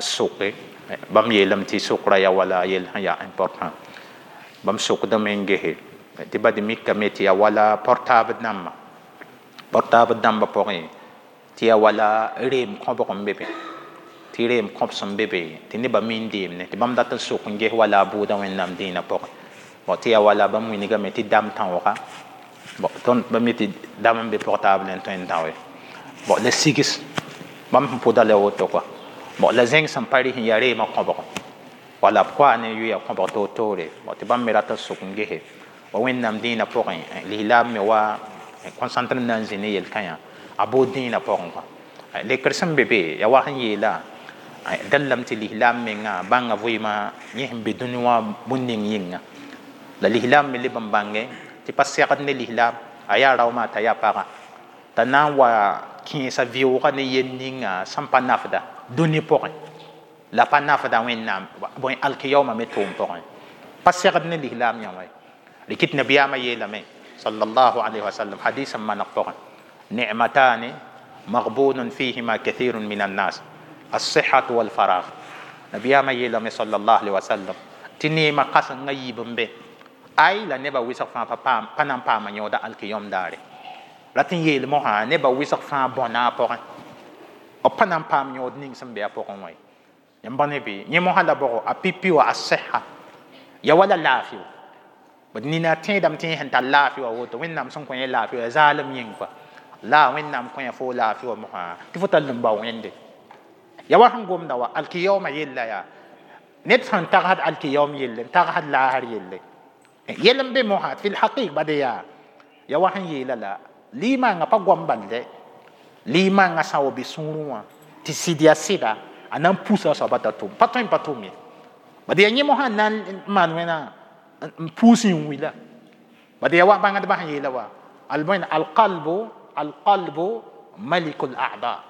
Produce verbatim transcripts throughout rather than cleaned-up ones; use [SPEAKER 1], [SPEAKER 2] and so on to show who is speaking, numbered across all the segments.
[SPEAKER 1] Soke bãmb yeelame tɩ sokra yaa wala yell sẽn yaa important. Bãmb sokdame n gese tɩ bad mikame tɩ yaa wala portable dãmba, portable dãmbã pʋgẽ, tɩ yaa wala reem kõbg n be be, tɩ reem kõb sẽn be be tɩ nebã min deemne, tɩ bãmb dat n sok n ges wala a buudã Wẽnnaam dĩinã pʋgẽ. Bon, tɩ yaa wala bãmb wilgame tɩ dam tãooga. Bon, tõnd ba mi tɩ dam n be portable n tõe n dão ye. Bon, la sigs bãmb sẽn pʋda la woto kɔa. Bon, la zẽng sẽn pa rɩs n yaa reemã kõbg, wala b koa ne yʋya kõbg toor-toore. Bon, tɩ bãmb me rat n sok n gese wa Wẽnnaam dĩinã pʋgẽ, lislaam me wa concentre na n zĩ ne yel-kãyã a bood dĩinã pʋgẽ kɔa. Lekr sẽn be be yaa wa sẽn yeela dallame tɩ lislaam menga bãnga vɩɩmã yẽ sẽn be dũni wã bũn ning yĩnga. La lislaam me leb n bãnge tɩ pa segd ne lislaam, a yaa raoomã t'a yaa paga, t'a na n wa kẽesa vɩʋʋga ne yel ninga sẽn pa nafda dũni pʋgẽ, la pa nafda Wẽnnaam bõe alkiyaoomã me tʋʋm pʋgẽ. Pa segd ne lislaam yã wã. Rikit nabiyaamã yeelame sallallahu alayhi wa sallam hadis n maneg pʋgẽ: ni'matani maghbunun fihima kathirun min annas, الصحة والفراغ. Nabiyaamã yeelame sallallahu alayhi wa sallam tɩ neemã kãsengã yiib n be ay la nebã wɩsg fãa pa paam, pa na n paama yõoda alkiyom daare. Rat n yeel mosã nebã wɩsg fãa bõna a pʋgẽ, b pa na n paam yõod ning sẽn be a pʋgẽ wã ye. Yãmb bã ne bɩ yẽ mosã la bʋgo a pipi wa asiha ya wala laafɩ wa bd nina tẽedame tɩ yẽ sẽn tar laafɩ wa woto, Wẽnnaam sẽn kõ yẽ laafɩ wa zaalem yĩng kɔa. La Wẽnnaam kõ yã fo laafɩ wa mosã tɩ fo tall n bao Wẽnde ya wa sẽn gomda wa alkiyaoomã yella yaa ned sẽn tagsd alkiyaoom yelle n tagsd laasr yelle yel n be mosã fi lhaqiq bad yaa ya wa sẽn yeela la liimãngã pa goam balde, liimãngã sã n wa be sũurẽ wã tɩ sɩd yaa sɩda, a na n pusa a soaba t'a tʋm, pa tõe n pa tʋm ye. Bad yaa yẽ mosã n na n maan wẽna n puus n wila. Bad yaa wa bãngdbã sẽn yeela wa albõe alqalbu alqalbu malikul a'da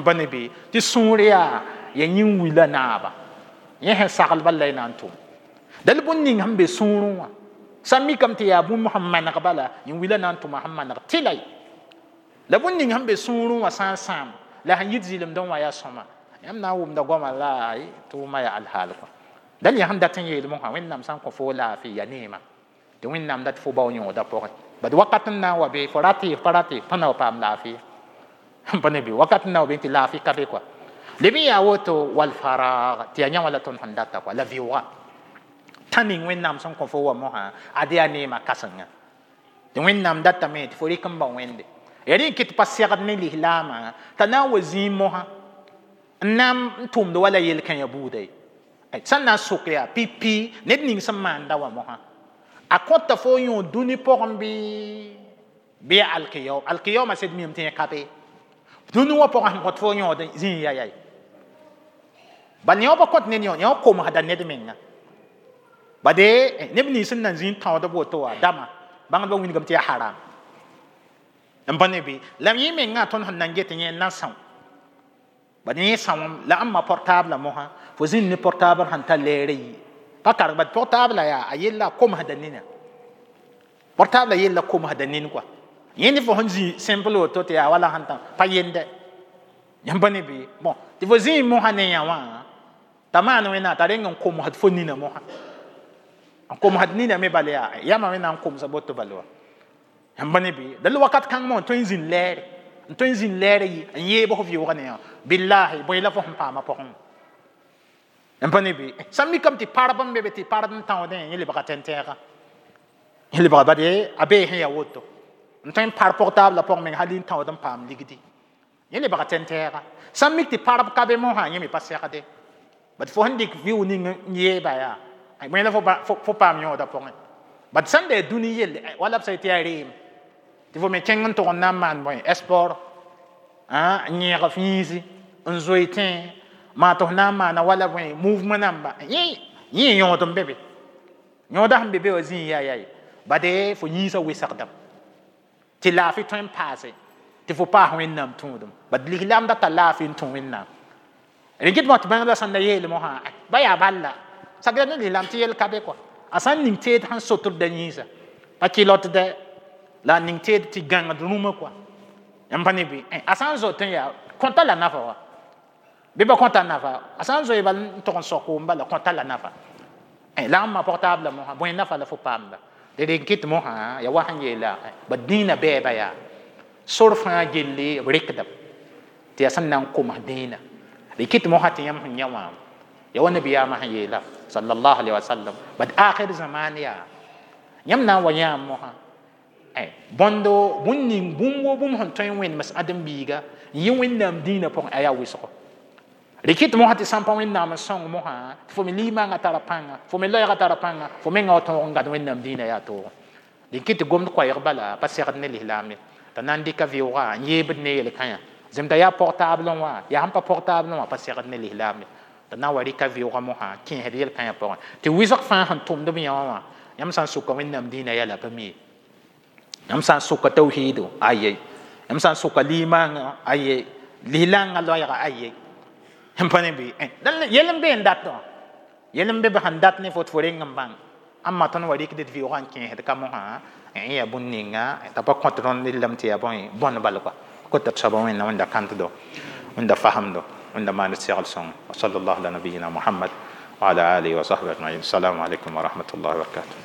[SPEAKER 1] ba ne bɩ tɩ sũur yaa ya yĩn wila naaba, yẽ sẽn sagl bal la y na n tʋm dal bũn ning sẽn be sũurẽ wã sã n mikame tɩ yaa bũmb sẽn maneg bala, yĩn wila na n tʋma sẽn maneg tɩla la bũn ning sẽn be sũurẽ wã sã n sãam la sẽn yit zɩlemdẽ wã yaa sõma. Yãmb na n wʋmda goamã la tɩ wʋma yaa alhaal kɔa. Dal yaa sẽn dat n yeel mosã, Wẽnnaam sã n kõ fo laafɩ ya neema tɩ Wẽnnaam dat fo bao yõoda pʋgẽ. Bad wakat n na n wa be fo rat y pa rat pa na wa paam laafɩ pa ne be wakat n na wa be tɩ laafɩ ka be kɔa. Leb n yaa woto wal farag tɩ yaa yã wã la tõnd sẽn data kɔa la vɩʋʋga tã ning Wẽnnaam sẽn kõ fo wa mosã ad yaa neemã kãsenga tɩ Wẽnnaam datame tɩ fo rɩk n bao Wẽnde ya rẽ n kɩt pa segd ne lislaamã t'a na n wa zĩig mosã n na n tʋmd wala yel-kãyã buuda ye. Sẽn na n sok yaa pipi ned ning sẽn maanda wã mosã a kõta fo yõ dũni pʋgẽ bɩ bɩ ya alkiyaoom. Alkiyaoomã sed miame tɩ yẽ ka be dũni wã pʋgẽ sẽn kõt fo yõod zĩig ya yaye bal yõ pa kõt ned yõ, yõ komsda ned menga. Bade neb nins sẽn nan zĩig tãood b woto wã dama bãngdbã wilgame tɩ yaa haram n pa ne bɩ la yẽ mengã tõnd sẽn nan get yẽ n na são bad yẽ sãoem la ãmba portable mosã fo zĩnd ne portable sẽn ta lɛɛrã yi pa karg bad portable yaa a yella a komsda nina, portable yella komsda nin kɔa. Yẽ ne fo sẽn zĩ simple woto tɩ yaa wala sẽn tã pa yende yãmb pa ne bɩ. Bon, tɩ fo zĩig mosã ne yã wã t'a maan wẽnnaam t'a reng n komsd fo nina mosã n komsd nina me bal yaa yama wẽnnaam n komsa boto bal wa yãmb pa ne bɩ. Dal wakat kãng mo n tõe n zĩnd lɛɛre, n tõe n zĩnd lɛɛrã yi n yeeb f vɩʋʋgã ne yã billahi bõe la fo sẽn paama pʋgẽ yãmb pa ne bɩ. Sã n mikame tɩ parb n be be tɩ parb n tãoodẽ yẽ lebga tẽn-tɛɛga, yẽ lebga bad a bee sẽn yaa woto n tõe n par portable pʋgẽ meng hal n tãood n paam ligdi, yẽ lebga tẽn-tɛɛga. Sã n mik tɩ parb ka be mosã yẽ me pa segde bad fo sẽn dɩk vɩʋʋg ning n yeeba yaa bõe la fo paam yõoda pʋgẽ. Bad sãn da dũni yelle wala b sã tɩ yaa reem tɩ fo me kẽng n tʋg n na n maan bõe sport n yẽeg f yĩisi n zoe tẽ maa tɩ f na n maana wala bõe mouvement namba yẽ yẽ yõod n be be yõoda sẽn be be wã zĩig yaa yaye bade fo yĩnsã wɩsgdame tɩ laafɩ tõe n paase tɩ fo paas Wẽnnaam tũudum. Bad lislaam data laafɩ n tũ Wẽnnaam rẽ kɩt tɩ bãngdbã sẽn da yeel mosã ba yaa balla sakda ne lislaam tɩ yel ka be kɔa a sã n ning teed sẽn sotd yĩnsa pa kɩlotdɛ la a ning teed tɩ gãngd rũmã kɔa. Yãmb pa ne bɩ a sã n zot n yaa kõta la nafa wa Bɩ ba kõta nafa a sã n zoe bal n tog n sok n bala kõta la nafa la ãmba portable mosã bõe nafa la fo paamda d reng kɩt mosã ya wa sẽn yeela ba dĩinã bɛɛba yaa sor fãa gilli b rɩkda tɩ yaa sẽn na n koms dĩinã d kɩt mosã tɩ yãmb sẽn yã wã ya wa nabiyaamã sẽn yeela sallallahu alaihi wasallam bad akhir zaman yaa yãmb na n wa yãam mosã bõndo bũn ning bũmb wo bũmb sẽn tõe n wẽnems ãdem-biiga n yɩ wẽnnaam dĩinã pʋgẽ a yaa wɩsgo rɩkɩt mosã tɩ sã n pa wẽnnaam n sõng mosã tɩ fo me limaangã tara pãnga fo me loɛɛgã tara pãnga fo mengã wa tõog n gãd wẽnnaam dĩinã yaa toogo dẽn kɩ tɩ gomd koɛɛg bala pa segd ne lislaam ye t'a na n dɩka vɩʋʋga n yeebd ne yel-kãyã zemda yaa portable wã yaa sẽn pa portable wã pa segd ne lislaam ye t'a na n wa rɩka vɩʋʋga mosã kẽesd yel-kãyã pʋgẽ tɩ wɩsg fãa sẽn tʋmd b yã wã wã yãmb sã n sʋka wẽnnaam dĩinã yɛla pa mi ye yãmb sã n sʋka tawhiido aye yãmb sã n sʋka limaangã aye lislaangã loɛɛga aye n pa ne bɩ yel n be n dat wã yel n be b sẽn dat ne fo tɩ fo reng n bãng ãmba tõnd wa rɩkd d vɩʋʋgã n kẽesd ka mosã n yaa bũn ninga t'a pa kõt rõnd rɩllame tɩ yaa bõe bõn bal koa kota d soaba wẽnna wẽnda kãntdo wẽnda fasemdo wẽnda maan d segl sõng wa sallallahu ala nabiyina muhammad wa ala alihi wa sahbihi ajmain assalamu alaikum wa rahmatullahi wa barakatuh.